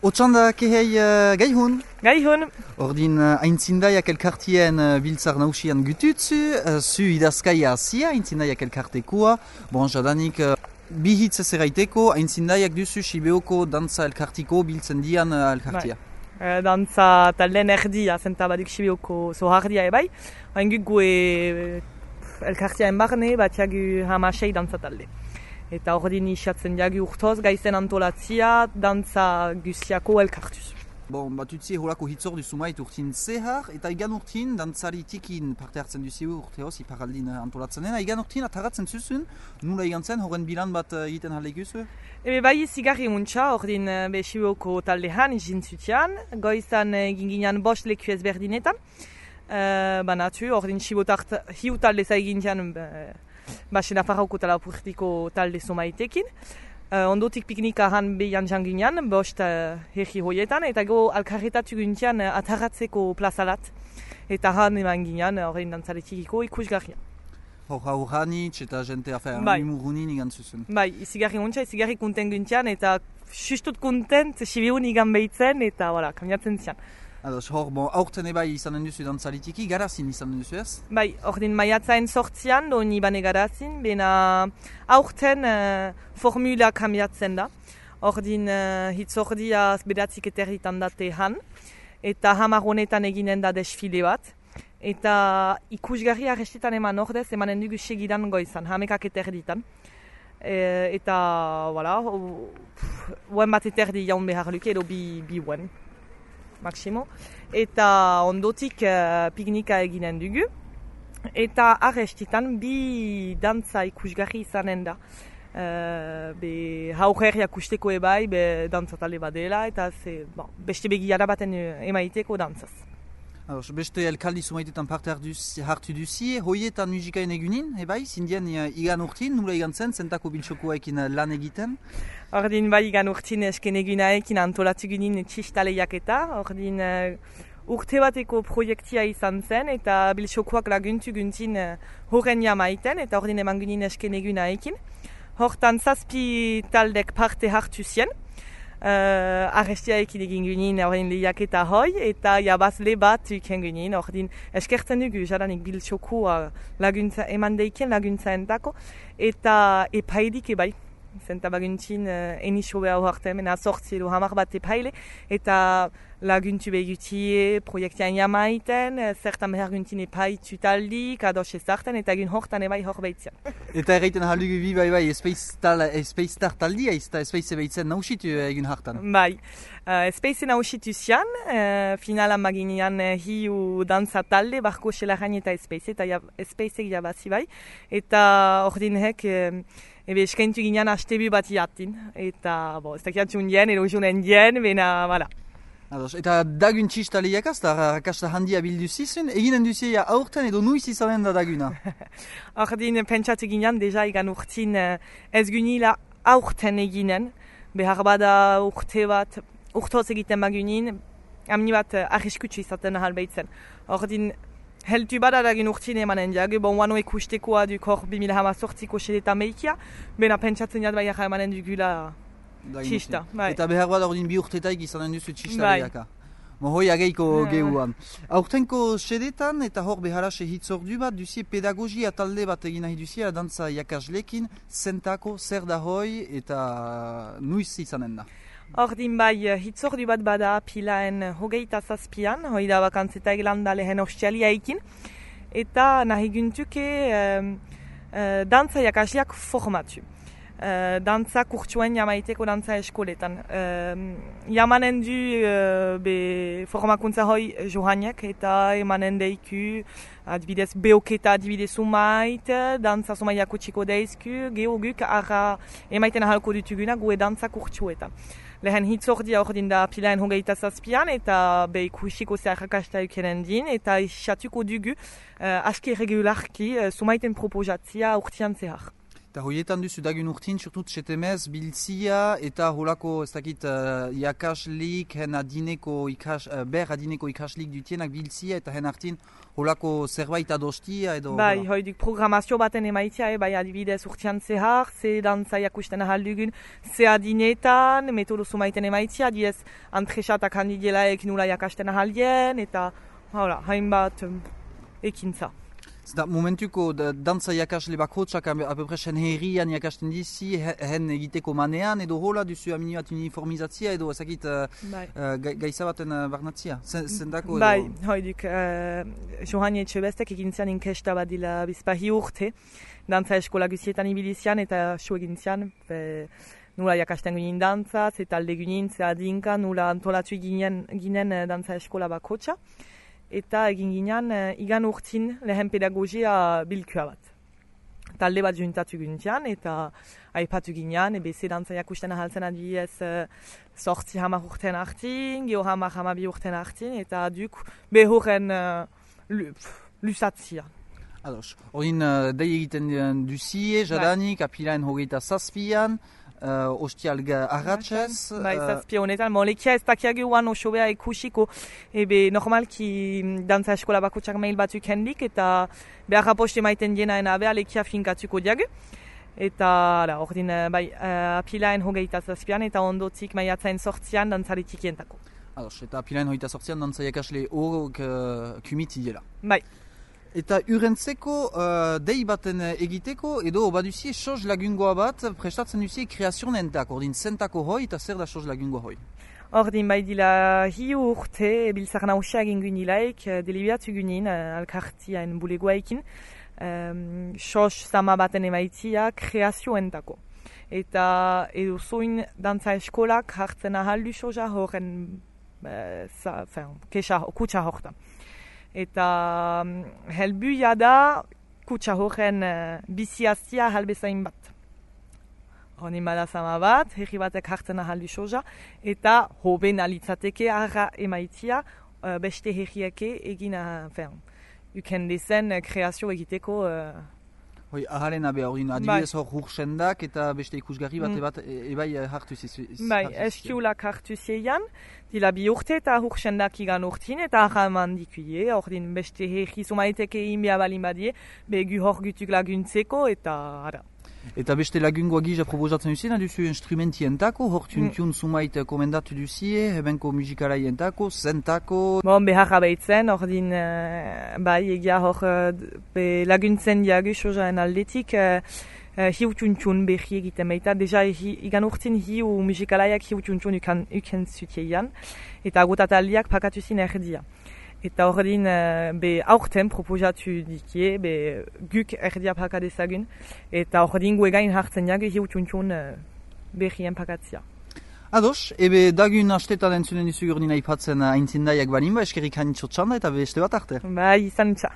Otsanda kehei gaihun. Gaihun. Ordin aintzindaiak elkartien biltzar nausian gututzu, zu idazkaia azia, aintzindaiak elkartekoa. Bon, jadanik bihitz ezeraiteko, aintzindaiak duzu Sibeoko dantza elkartiko biltzen dian elkartia. Dantza talden erdia, zenta baduk Sibeoko zohardia ebai. Hain guk gue elkartiaen barne, batiagu hamasei dantza talde. Eta ordin isatzen diagu urtoz, gaizen antolatzia, dantza guziako elkartuz. Bon, batutzi holako hitzor duzu mait urtin zehar, eta igan urtin dantzaritikin parte hartzen duzu urteoz, iparaldin antolatzen dena. Igan urtin ataratzen zuzun, nula igan zen, horren bilan bat egiten halekuzu? Ebe bai zigarri muntza, ordin Sibeoko taldean, jintzutian, goizan ginginan bost leku ezberdinetan. Banatu, ordin Sibotart hiu talde zaigintian, Baxena Farrauko talapurtiko talde somaitekin. Ondotik piknikahan behian janginan, bost herri hoietan, eta go alkarretatu guntian ataratzeko plazalat. Eta han eman ginean, horrein dantzaretikiko ikusgarrian. Hor eta jente afer, imurunin igan zuzun. Bai, izigarri muntza, izigarri konten guntian, eta justut kontent, Sibiun igan behitzen, eta voilà, kamiatzen zian. Ados, hor, aurten ebai izanen duzu dantzaritiki, garazin izanen duzu ez? Bai, ordin maiatzaen sortzian, do nibane garazin, bena aurten formula kambiatzen da. Ordin hitzordia bedatzik eterritan date han, eta hamar honetan eginen da desfile bat. Eta ikusgarri arrestetan eman ordez, emanen dugu segidan goizan, hamekak eterditan. Eta, voilà, uen bat eterdi jaun behar luke, edo bi uen. Maximo. Eta ondotik piknika eginen dugu. Eta arrestitan bi dantza ikusgarri izanen da. Haurriak usteko ebai, dantza tale badela, eta beste begiara baten emaiteko dantzaz. Beste elkaldi sumaitetan parte hartu duzi, hoietan musikaen egunin, ebai, zindien igan urtin, nula igan zen, zentako biltxokoekin lan egiten? Ordin bai igan urtin esken egunaekin antolatu gunin txistaleiak eta, ordin urte bateko proiektia izan zen, eta biltxokoak laguntu guntin horren jamaiten, eta ordin eman gunin esken egunaekin. Hortan zazpi taldek parte hartu zien, arrestiaekin egin gunin horrein lehiak eta hoi, eta jabazle bat iken gunin, ordin eskertzen dugu jadanik biltxokoa laguntza, eman deiken laguntza entako, eta epaidik ebai. Zenta baguntzin eniso behar horretan, mena sortzi edo hamar bat epaile, eta laguntu behutie proiektian jamaiten, zertan behar guntin epaitu taldik, ados ezartan, eta egin hortan ebai hor behitzian. Eta erraiten haldugu bi bai Space taldia, eta Space behitzen nausitu egin hartan? Bai, Space nausitu zian, finalan maginean hiu dantza talde, barko xelaran eta Space, eta Spaceek jabazi bai, eta ordinhek ebe eskentu ginean astebi bat jatin, eta ez dakiatzen dien, edo jonen dien, bena, bala. Eta dagun txistaleiak azta, rakasta handia bildu zizun, eginen duzia aurten edo nuiz izanen da daguna? Ordin pentsatu ginean, deja egan urtin ez gunila aurten eginen, behar bada urte bat, urtoz egiten bagunin, amni bat arriskutsu izaten ahal behitzen. Ordin heltu bada dagin urtin emanen diag, bon wano ekustekoa duk hor 2018ko sedetan behikia, bena pentsatzen jat bai emanen dugula txista. Eta behar bada ordin bi urtetaik izanen duzu txista behiaka. Hoi ageiko gehuan. Aurtenko sedetan eta hor beharase hitzordu bat duzie pedagogia talde bat egin nahi duzia dantza jakaslekin, zentako, zer da hoi eta nuiz izanen da. Ordin bai, hitzordu bat bada pilaen hogeita zazpian, hoi da bakantzeta eglanda lehen ostialiaikin, eta nahi guntuke dantza jakasleak formatu. Dantza kurtsuen jamaiteko dantza eskoletan. Jamanen du formakuntza hoi johaniak eta emanen deiku adibidez beoketa adibidez sumait, dantza sumaiako txiko deizku, geoguk arra emaiten ahalko dutuguna gue dantza kurtsuetan. Lehen hitzordia ordin da pilaen hogeita zazpian eta ikusiko zeharrakasta eukenen din eta isatuko dugu aski regularki sumaiten proposatzia urtian zehar. Eta hoietan duzu dagun urtin, surtut setemez, biltzia eta holako, ez dakit, iakaslik, ber adineko ikaslik dutienak biltzia eta hen hartin holako zerbait adostia edo... Bai, hoidik programazio baten emaitia, bai adibidez urtean zehar, ze dantza jakusten ahal dugun, ze adinetan, metodo sumaiten emaitia, diez antresatak handidielaek nula jakasten ahalien, eta hainbat ekintza. Zeta momentuko dantza jakasle bakotsak apepresen herrian jakasten dizi, hen egiteko manean, edo hola duzu aminiat uniformizatzia edo ezakit gaiza baten barnatzia? Zendako edo... Bai, hoidik, Johani Etxebestek egintzian inkesta bat dila bizpahi urte, dantza eskola guzietan ibilizian eta su egintzian, nula jakasten ginen dantza, ze talde ginen, ze adinka, nula antolatu ginen dantza eskola bakotsa. Eta egin ginen igan urtin lehen pedagogia bilkua bat. Talde bat juntatu gintian eta aipatu ginen, ze dantza jakusten ahaltzen adiez sortzi hamar urten hartin, geho hamabi urten hartin, eta duk behoren lusatzia. Ados, horin dei egiten duzie, jadanik, apilaen hogeita zazpian, ostial arratxez... Bai, zazpia honetan, molekia ez dakiage uan osobea ikusiko, normalki dantza eskola bakotsak mail batzuk hendik, eta behar aposte maiten dienaen abea lekia finkatuko diage. Eta ordin, apilaen hogeita zazpian, eta ondotik maiatzaen sortzian dantzaritik jentako. Ados, eta apilaen hogeita sortzian dantzaiak asle horok kumiti dela. Bai. Eta urentzeko dei baten egiteko, edo baduzie soz lagungoa bat prestatzen duzie kreazionentak, ordin zentako hoi eta zer da soz lagungoa hoi? Ordin bai dila hiu urte biltzar nausia egin gunilaik, delibiatu gunin alkartiaen bulegoaikin, soz zama baten emaitia kreazioentako. Eta edo zoin dantza eskolak hartzen ahaldu soza horren kutsa horta. Eta helbuia da kutsa horren biziazia halbezain bat. Honin bada zama bat, herri batek hartzen ahaldu soza, eta hoben alitzateke arra emaitia beste herriake egin uken dezen kreazio egiteko. Hoi, aharen abe hori, adibidez hor hursendak eta beste ikusgarri bat ebai hartu zizu. Bai, eskiulak hartu zeian, dila bi urte eta hursendak igan urtin eta ahaman dikuie, ordin beste herri sumaiteke inbia balin badie, begu hor gutuk laguntzeko eta ara. Eta beste lagungoa gisa proposatzen duzien, duzu instrumentientako, hor tuntun sumait komendatu duzie, hebenko musikalaientako, zentako... Bon, behar abaitzen, ordin, bai, egia hor laguntzen diagu sozaen aldetik, hiu tuntun berri egiten baita, deja igan urtin hiu musikalaiak hiu tuntun uken zuteian, eta agotataldiak pakatuzin erdia. Eta ordin aurten proposatu dikie, guk erdia pakadezagun, eta ordin guegain hartzen jagu hiu tuntun berrien pakatzia. Ados, ebe dagun astetan entzunen dizu gordin aipatzen aintzindaiak balimba, eskerrik hanitxo txanda eta beste bat arte. Bai, izan txa.